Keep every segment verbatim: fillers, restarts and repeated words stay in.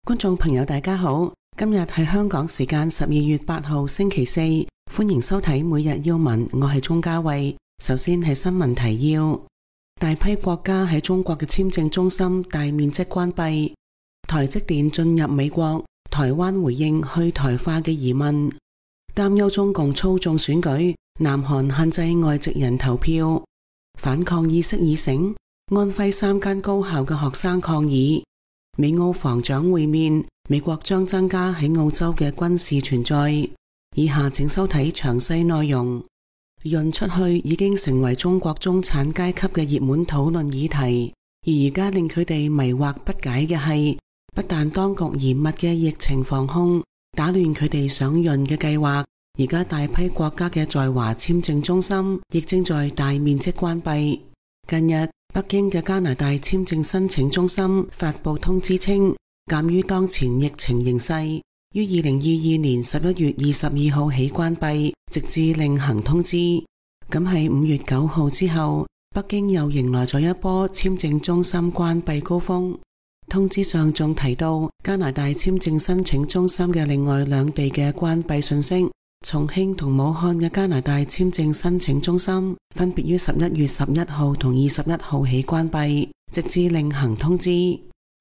觀眾朋友大家好，今日係香港時間十二月八號星期四，歡迎收睇每日要聞，我係鍾嘉慧。首先係新聞提要，大批國家喺中國嘅簽證中心大面積關閉，台積電進入美國，台灣回應去台化嘅疑問，擔憂中共操縱選舉，南韓限制外籍人投票，反抗意識已醒，安徽三間高校嘅學生抗議，美澳防長會面，美國將增加喺澳洲嘅軍事存在。以下請收睇詳細內容。潤出去已經成為中國中產階級嘅熱門討論議題，而而家令佢哋迷惑不解嘅係，不但當局嚴密嘅疫情防控打亂佢哋想潤嘅計劃，而家大批國家嘅在華簽證中心亦正在大面積關閉。近日，北京嘅加拿大簽證申請中心發佈通知稱，鑒於當前疫情形勢，於二零二二年十一月二十二號起關閉，直至另行通知。咁喺五月九號之後，北京又迎來咗一波簽證中心關閉高峰。通知上仲提到加拿大簽證申請中心嘅另外兩地嘅關閉信息。重慶同武漢嘅加拿大簽證申請中心分別於十一月十一號同二十一號起關閉，直至另行通知。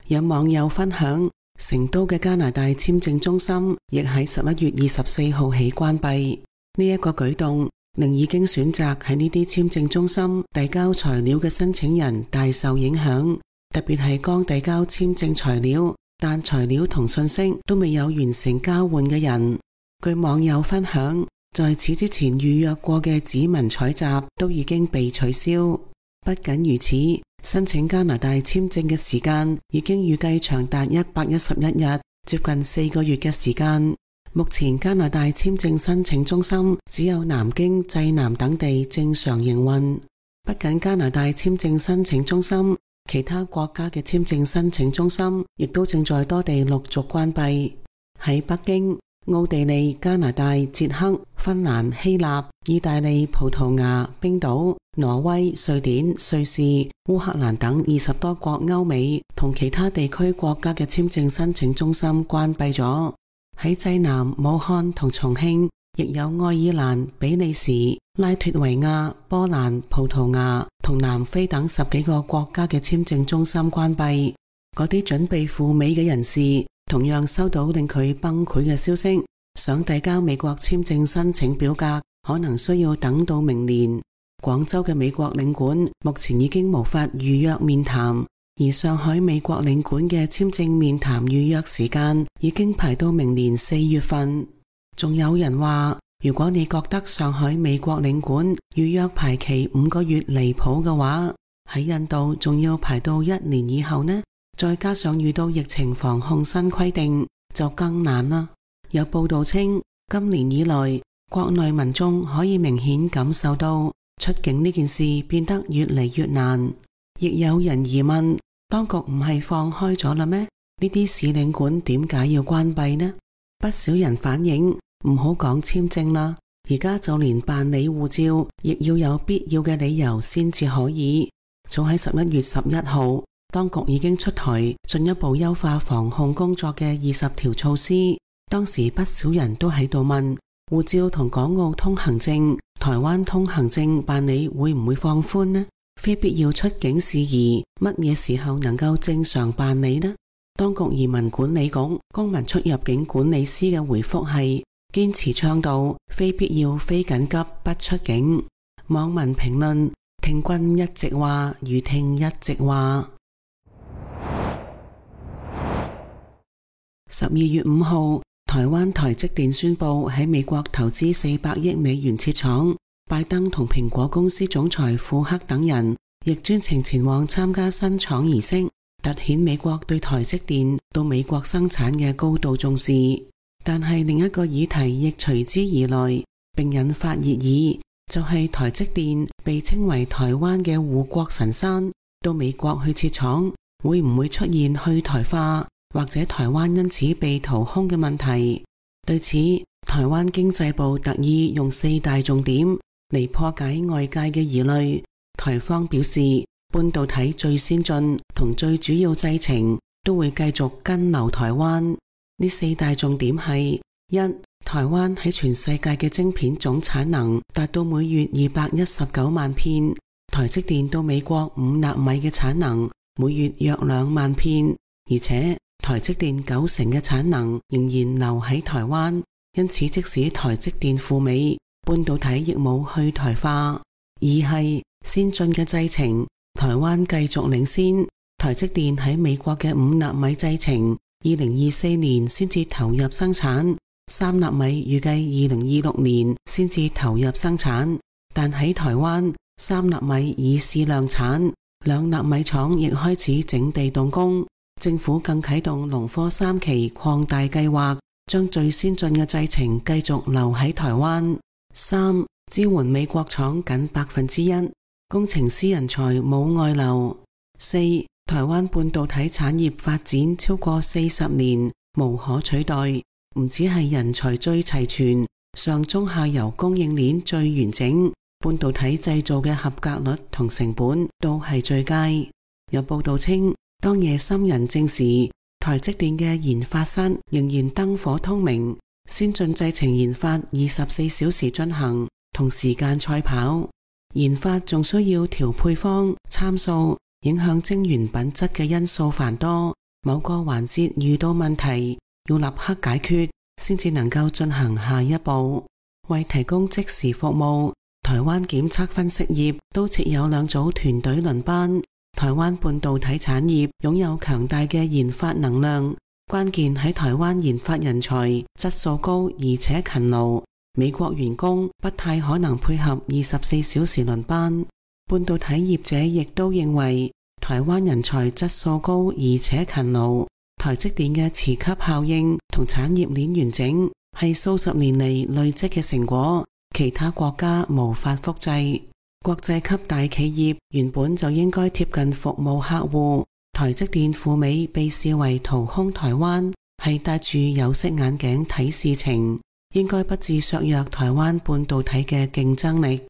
有網友分享，成都嘅加拿大簽證中心亦喺十一月二十四號起關閉。呢一個舉動令已經選擇喺呢啲簽證中心遞交材料嘅申請人大受影響，特別係剛遞交簽證材料但材料同信息都未有完成交換嘅人。據網友分享，在此之前預約過嘅指紋採集都已經被取消。不僅如此，申請加拿大簽證嘅時間已經預計長達一百一十一日，接近四個月嘅時間。目前加拿大簽證申請中心只有南京、濟南等地正常營運。不僅加拿大簽證申請中心，其他國家嘅簽證申請中心亦都正在多地陸續關閉。喺北京、奧地利、加拿大、捷克、芬蘭、希臘、意大利、葡萄牙、冰島、挪威、瑞典、瑞士、烏克蘭等二十多國歐美同其他地區國家嘅簽證申請中心關閉咗。喺濟南、武漢同重慶，亦有愛爾蘭、比利時、拉脫維亞、波蘭、葡萄牙同南非等十幾個國家嘅簽證中心關閉。嗰啲準備赴美嘅人士同樣收到令佢崩潰嘅消息，想遞交美國簽證申請表格，可能需要等到明年。廣州嘅美國領館目前已經無法預約面談，而上海美國領館嘅簽證面談預約時間已經排到明年四月份。仲有人話，如果你覺得上海美國領館預約排期五個月離譜嘅話，喺印度仲要排到一年以後呢？再加上遇到疫情防控新規定，就更難啦。有報道稱，今年以來，國內民眾可以明顯感受到出境呢件事變得越嚟越難。亦有人疑問，當局唔係放開咗啦咩？呢啲使領館點解要關閉呢？不少人反映，唔好講簽證啦，而家就連辦理護照，亦要有必要嘅理由先至可以。早喺十一月十一號，當局已經出台進一步優化防控工作嘅二十條措施，當時不少人都喺度問，護照同港澳通行證、台灣通行證辦理會唔會放寬呢？非必要出境事宜乜嘢時候能夠正常辦理呢？當局移民管理局公民出入境管理司嘅回覆係堅持倡導非必要非緊急不出境。網民評論，聽君一席話如聽一席話。十二月五號，台灣台積電宣布喺美國投資四百億美元設廠，拜登同蘋果公司總裁庫克等人亦專程前往參加新廠儀式，凸顯美國對台積電到美國生產嘅高度重視。但係另一個議題亦隨之而來，並引發熱議，就係、是、台積電被稱為台灣嘅護國神山，到美國去設廠，會唔會出現去台化，或者台灣因此被掏空嘅問題？對此，台灣經濟部特意用四大重點嚟破解外界嘅疑慮。台方表示，半導體最先進同最主要製程都會繼續跟留台灣。呢四大重點係：一、台灣喺全世界嘅晶片總產能達到每月二百一十九萬片，台積電到美國五納米嘅產能每月約兩萬片，而且台積電九成嘅產能仍然留喺台灣，因此即使台積電赴美，半導體亦冇去台化。二係先進嘅製程，台灣繼續領先，台積電喺美國嘅五納米製程，二零二四年先至投入生產，三納米預計二零二六年先至投入生產，但喺台灣，三納米已試量產，兩納米廠亦開始整地動工，政府更啟動農科三期擴大計劃，將最先進嘅製程繼續留喺台灣。三、支援美國廠僅百分之一，工程師人才冇外流。四、台灣半導體產業發展超過四十年，無可取代，唔止係人才最齊全，上中下游供應鏈最完整，半導體製造嘅合格率同成本都係最佳。有報道稱，當夜深人靜時，台積電嘅研發室仍然燈火通明，先進製程研發二十四小時進行，同時間賽跑。研發仲需要調配方、參數，影響晶圓品質嘅因素繁多，某個環節遇到問題，要立刻解決，先至能夠進行下一步。為提供即時服務，台灣檢測分析業都設有兩組團隊輪班。台灣半導體產業擁有強大嘅研發能量，關鍵喺台灣研發人才質素高而且勤勞，美國員工不太可能配合二十四小時輪班。半導體業者亦都認為台灣人才質素高而且勤勞，台積電嘅磁吸效應同產業鏈完整係數十年嚟累積嘅成果，其他國家無法複製。國際級大企業原本就應該貼近服務客戶，台積電赴美被視為掏空台灣，係戴住有色眼鏡睇事情，應該不致削弱台灣半導體嘅競爭力。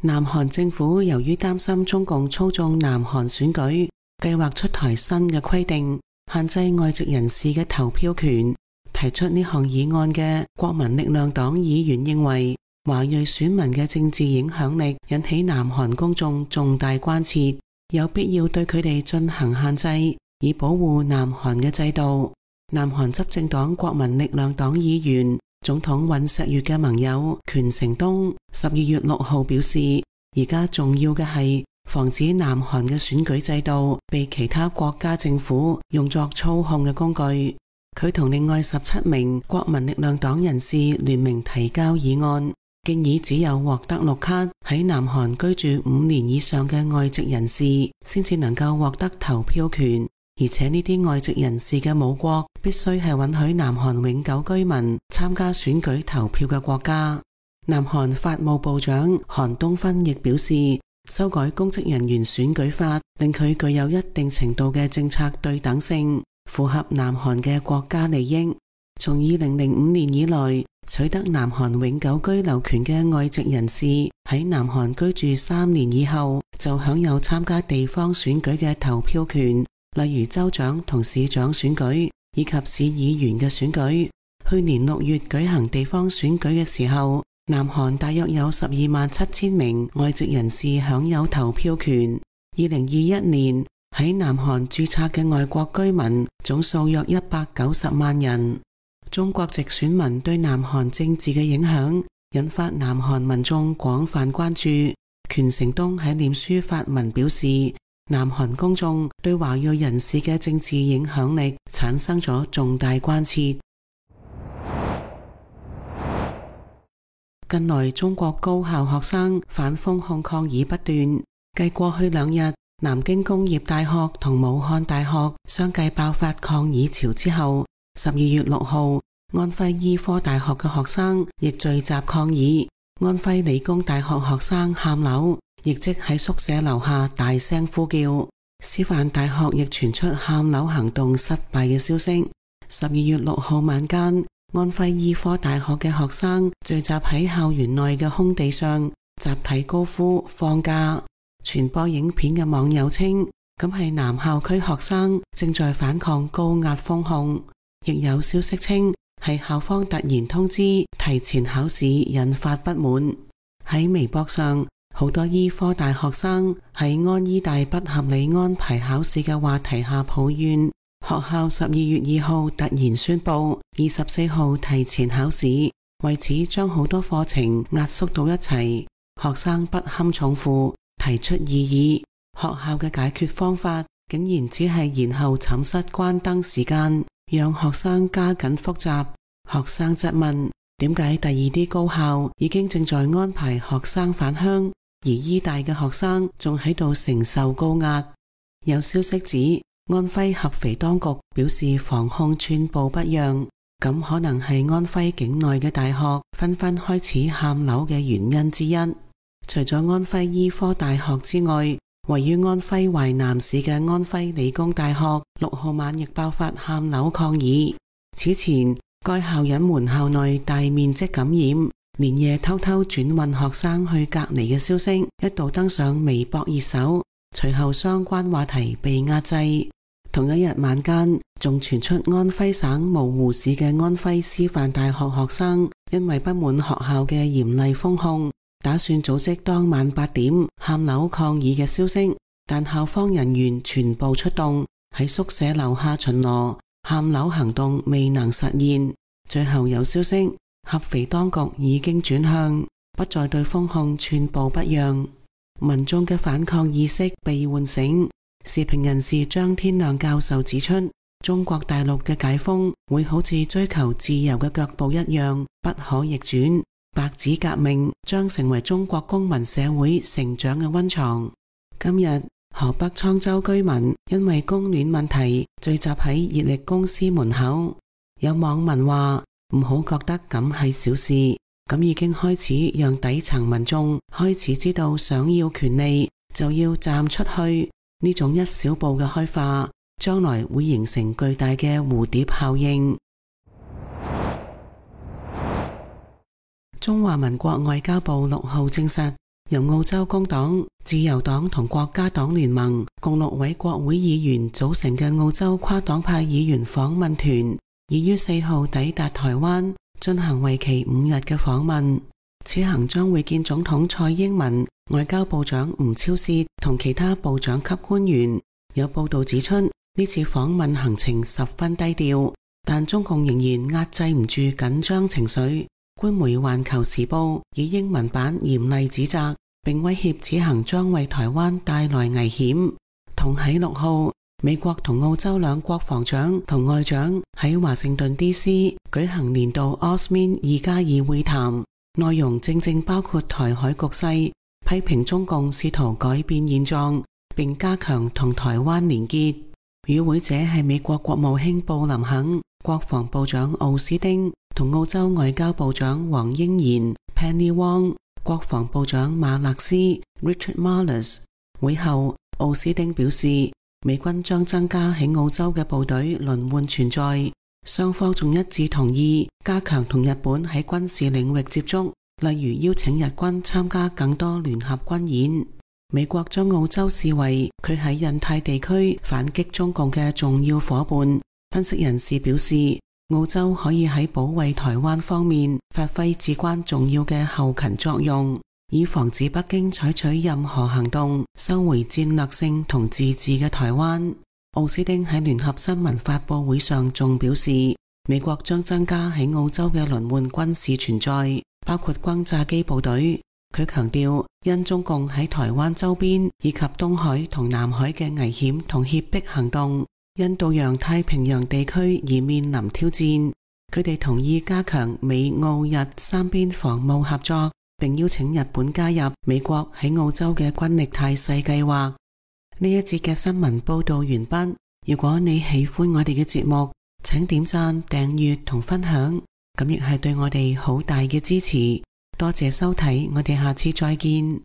南韓政府由於擔心中共操縱南韓選舉，計劃出台新嘅規定，限制外籍人士嘅投票權。提出呢項議案嘅國民力量黨議員認為，華裔選民嘅政治影響力引起南韓公眾重大關切，有必要對佢哋進行限制，以保護南韓嘅制度。南韓執政黨國民力量黨議員、總統尹錫悅嘅盟友權成東十二月六號表示，而家重要嘅係防止南韓嘅選舉制度被其他國家政府用作操控嘅工具。佢同另外十七名國民力量黨人士聯名提交議案，建議只有獲得綠卡喺南韓居住五年以上嘅外籍人士先至能夠獲得投票權，而且呢啲外籍人士嘅母國必須係允許南韓永久居民參加選舉投票嘅國家。南韓法務部長韓東勳亦表示，修改公職人員選舉法令佢具有一定程度嘅政策對等性，符合南韓嘅國家利益。從二零零五年以來，取得南韓永久居留權嘅外籍人士喺南韓居住三年以後，就享有參加地方選舉嘅投票權，例如州長同市長選舉以及市議員嘅選舉。去年六月舉行地方選舉嘅時候，南韓大約有十二萬七千名外籍人士享有投票權。二零二一年喺南韓註冊嘅外國居民總數約一百九十萬人。中國籍選民對南韓政治嘅影響引發南韓民眾廣泛關注。權成東喺臉書發文表示，南韓公眾對華裔人士嘅政治影響力產生咗重大關切。近來中國高校學生反封控抗議不斷，繼過去兩日南京工業大學同武漢大學相繼爆發抗議潮之後，十二月六號安徽醫科大學嘅學生亦聚集抗議，安徽理工大學學生喊樓，亦即喺宿舍樓下大聲呼叫。師範大學亦傳出喊樓行動失敗嘅消息。十二月六號晚間，安徽醫科大學嘅學生聚集喺校園內嘅空地上，集體高呼放假。傳播影片嘅網友稱，咁係南校區學生正在反抗高壓封控，亦有消息稱係校方突然通知提前考試引發不滿。喺微博上，好多醫科大學生喺安醫大不合理安排考試嘅話題下抱怨，學校十二月二號突然宣布二十四號提前考試，為此將好多課程壓縮到一齊，學生不堪重負，提出異議。學校嘅解決方法竟然只係延後寢室關燈時間，讓學生加緊複習。學生質問，點解第二啲高校已經正在安排學生返鄉，而醫大嘅學生仲喺度承受高壓？有消息指，安徽合肥當局表示防控寸步不讓，咁可能係安徽境內嘅大學紛紛開始喊樓嘅原因之一。除咗安徽醫科大學之外，位於安徽淮南市嘅安徽理工大學六號晚亦爆發喊樓抗議。此前，該校隱瞞校內大面積感染，連夜偷偷轉運學生去隔離嘅消息一度登上微博熱搜，隨後相關話題被壓制。同一日晚間，仲傳出安徽省蕪湖市嘅安徽師範大學學生因為不滿學校嘅嚴厲封控，打算組織當晚八點喊樓抗議嘅消息，但校方人員全部出動喺宿舍樓下巡邏，喊樓行動未能實現。最後有消息，合肥當局已經轉向，不再對封控寸步不讓，民眾嘅反抗意識被喚醒。時評人士張天亮教授指出，中國大陸嘅解封會好似追求自由嘅腳步一樣不可逆轉，白紙革命將成為中國公民社會成長嘅溫床。今日河北滄州居民因為供暖問題聚集喺熱力公司門口，有網民話唔好覺得咁係小事，咁已經開始讓底層民眾開始知道想要權利就要站出去。呢種一小步嘅開化，將來會形成巨大嘅蝴蝶效應。中華民國外交部六號證實，由澳洲工黨、自由黨同國家黨聯盟共六位國會議員組成嘅澳洲跨黨派議員訪問團，已於四號抵達台灣，進行為期五日嘅訪問。此行將會見總統蔡英文、外交部長吳釗燮同其他部長級官員。有報道指出，呢次訪問行程十分低調，但中共仍然壓制唔住緊張情緒。官媒《環球時報》以英文版嚴厲指責，並威脅此行將為台灣帶來危險。同喺六號，美國同澳洲兩國防長同外長喺華盛頓 D C 舉行年度 AUSMIN 二加二會談。內容正正包括台海局勢，批評中共試圖改變現狀，並加強同台灣連結。與會者係美國國務卿布林肯、國防部長奧斯汀同澳洲外交部長黃英賢 Penny Wong、國防部長馬勒斯 Richard Marles。會後，奧斯汀表示，美軍將增加喺澳洲嘅部隊輪換存在。雙方仲一致同意加強同日本喺軍事領域接觸，例如邀請日軍參加更多聯合軍演。美國將澳洲視為佢喺印太地區反擊中共嘅重要夥伴。分析人士表示，澳洲可以喺保衛台灣方面發揮至關重要嘅後勤作用，以防止北京採取任何行動收回戰略性同自治嘅台灣。奧斯汀喺聯合新聞發佈會上仲表示，美國將增加喺澳洲嘅輪換軍事存在，包括轟炸機部隊。佢強調，因中共喺台灣周邊以及東海同南海嘅危險同脅迫行動，印度洋太平洋地區而面臨挑戰。佢哋同意加強美澳日三邊防務合作，並邀請日本加入美國喺澳洲嘅軍力態勢計劃。呢一節嘅新聞報道完畢。如果你喜歡我哋嘅節目，請點讚、訂閱同分享，咁亦係對我哋好大嘅支持。多謝收睇，我哋下次再見。